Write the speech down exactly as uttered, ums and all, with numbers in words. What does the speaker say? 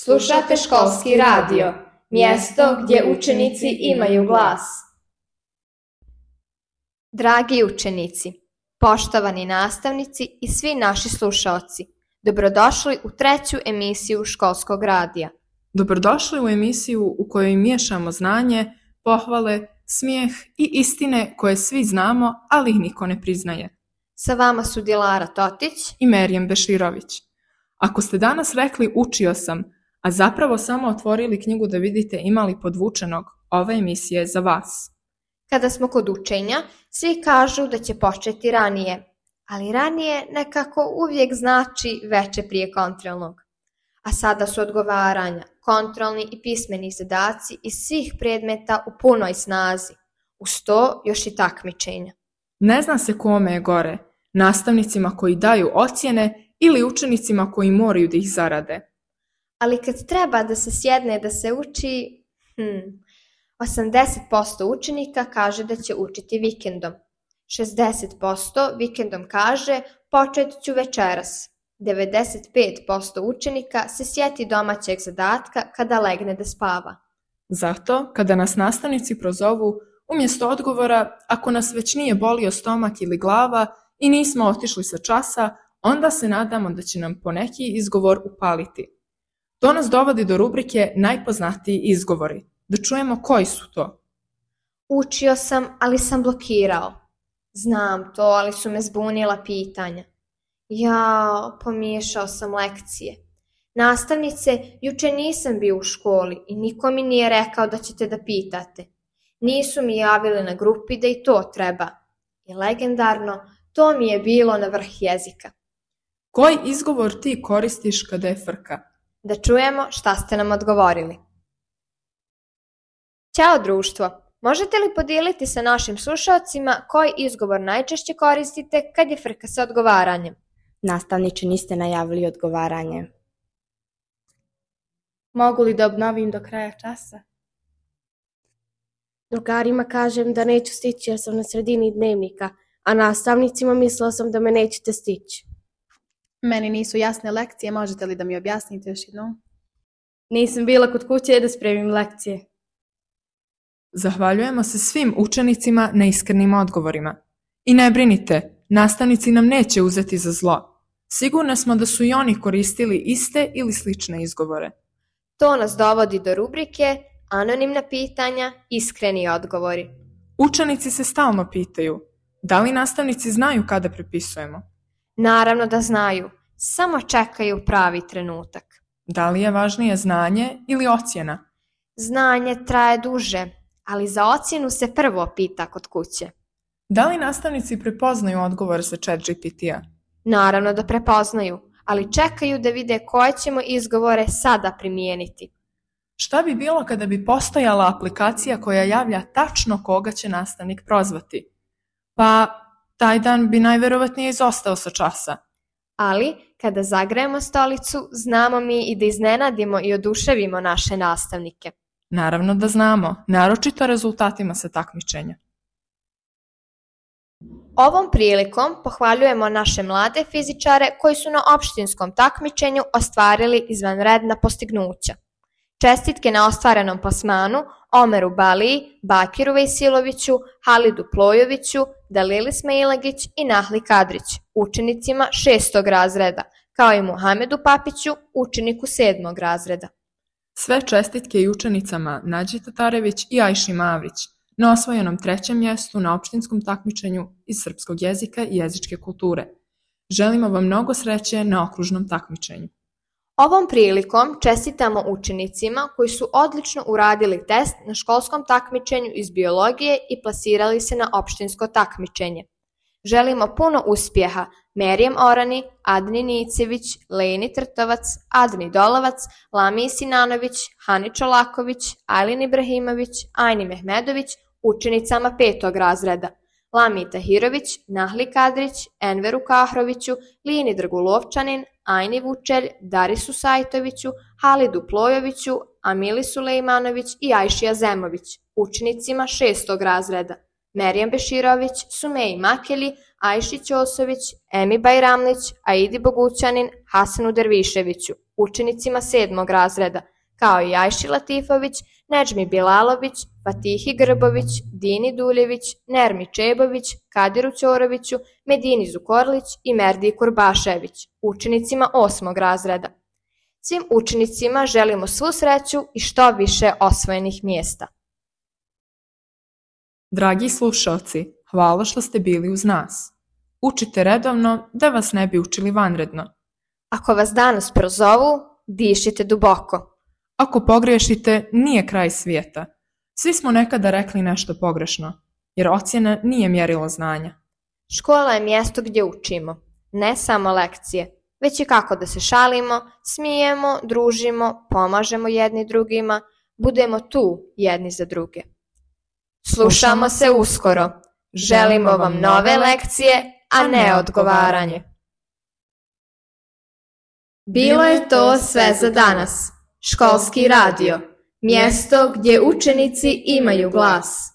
Slušate školski radio, mjesto gdje učenici imaju glas. Dragi učenici, poštovani nastavnici i svi naši slušaoci, dobrodošli u treću emisiju školskog radija. Dobrodošli u emisiju u kojoj miješamo znanje, pohvale, smijeh i istine koje svi znamo, ali ih niko ne priznaje. Sa vama su Dilara Totić i Merijem Beširović. Ako ste danas rekli učio sam, a zapravo samo otvorili knjigu da vidite ima li podvučenog, ova emisija je za vas. Kada smo kod učenja, svi kažu da će početi ranije, ali ranije nekako uvijek znači veče prije kontrolnog. A sada su odgovaranja, kontrolni i pismeni zadaci iz svih predmeta u punoj snazi. Uz to još i takmičenja. Ne zna se kome je gore, nastavnicima koji daju ocjene ili učenicima koji moraju da ih zarade. Ali kad treba da se sjedne da se uči, hmm, osamdeset posto učenika kaže da će učiti vikendom. šezdeset posto vikendom kaže počet ću večeras. devedeset pet posto učenika se sjeti domaćeg zadatka kada legne da spava. Zato, kada nas nastavnici prozovu, umjesto odgovora, ako nas već nije bolio stomak ili glava i nismo otišli sa časa, onda se nadamo da će nam poneki izgovor upaliti. To nas dovodi do rubrike najpoznatiji izgovori. Da čujemo koji su to. Učio sam, ali sam blokirao. Znam to, ali su me zbunila pitanja. Jao, pomiješao sam lekcije. Nastavnice, juče nisam bio u školi i niko mi nije rekao da ćete da pitate. Nisu mi javili na grupi da i to treba. I legendarno, to mi je bilo na vrh jezika. Koji izgovor ti koristiš kada je frka? Da čujemo šta ste nam odgovorili. Ćao društvo, možete li podijeliti sa našim slušalcima koji izgovor najčešće koristite kad je frka sa odgovaranjem? Nastavniče, niste najavili odgovaranje. Mogu li da obnovim do kraja časa? Drugarima kažem da neću stići jer sam na sredini dnevnika, a nastavnicima mislila sam da me nećete stići. Meni nisu jasne lekcije, možete li da mi objasnite još jednom? Nisam bila kod kuće da spremim lekcije. Zahvaljujemo se svim učenicima na iskrenim odgovorima. I ne brinite, nastavnici nam neće uzeti za zlo. Sigurno smo da su i oni koristili iste ili slične izgovore. To nas dovodi do rubrike anonimna pitanja, iskreni odgovori. Učenici se stalno pitaju, da li nastavnici znaju kada prepisujemo? Naravno da znaju, samo čekaju pravi trenutak. Da li je važnije znanje ili ocjena? Znanje traje duže, ali za ocjenu se prvo pita kod kuće. Da li nastavnici prepoznaju odgovor sa Chat G P T-a? Naravno da prepoznaju, ali čekaju da vide koje ćemo izgovore sada primijeniti. Šta bi bilo kada bi postojala aplikacija koja javlja tačno koga će nastavnik prozvati? Pa taj dan bi najverovatnije izostao sa časa. Ali, kada zagrejemo stolicu, znamo mi i da iznenadimo i oduševimo naše nastavnike. Naravno da znamo, naročito rezultatima sa takmičenja. Ovom prilikom pohvaljujemo naše mlade fizičare koji su na opštinskom takmičenju ostvarili izvanredna postignuća. Čestitke na ostvarenom plasmanu Omeru Baliji, Bakiru Vejsiloviću, Halidu Plojoviću, Dalili Smailagić i Nahli Kadrić, učenicima šestog razreda, kao i Muhamedu Papiću, učeniku sedmog razreda. Sve čestitke i učenicama Nađi Tatarević i Ajši Mavrić na osvojenom trećem mjestu na opštinskom takmičenju iz srpskog jezika i jezičke kulture. Želimo vam mnogo sreće na okružnom takmičenju. Ovom prilikom čestitamo učenicima koji su odlično uradili test na školskom takmičenju iz biologije i plasirali se na opštinsko takmičenje. Želimo puno uspjeha Merijem Orani, Adni Nicević, Leni Trtovac, Adni Dolovac, Lamiji Sinanović, Hani Čolaković, Ajlin Ibrahimović, Ajni Mehmedović, učenicama petog razreda, Lamiji Tahirović, Nahli Kadrić, Enveru Kahroviću, Lini Drgulovčanin, Ajni Vučelj, Darisu Sajtoviću, Halidu Plojoviću, Amili Sulejmanović i Ajši Azemović, učenicima šestog razreda, Merijem Beširović, Sumeji Makeli, Ajši Ćosović, Emi Bajramlić, Aidi Bogućanin, Hasanu Derviševiću, učenicima sedmog razreda, kao i Ajši Latifović, Nedžmi Bilalović, Fatihi Grbović, Dini Duljević, Nermi Čebović, Kadiru Ćoroviću, Medini Zukorlić i Merdi Kurbašević, učenicima osmog razreda. Svim učenicima želimo svu sreću i što više osvojenih mjesta. Dragi slušaoci, hvala što ste bili uz nas. Učite redovno da vas ne bi učili vanredno. Ako vas danas prozovu, dišite duboko. Ako pogriješite, nije kraj svijeta. Svi smo nekada rekli nešto pogrešno, jer ocjena nije mjerilo znanja. Škola je mjesto gdje učimo, ne samo lekcije, već i kako da se šalimo, smijemo, družimo, pomažemo jedni drugima, budemo tu jedni za druge. Slušamo se uskoro. Želimo vam nove lekcije, a ne odgovaranje. Bilo je to sve za danas. Školski radio, mjesto gdje učenici imaju glas.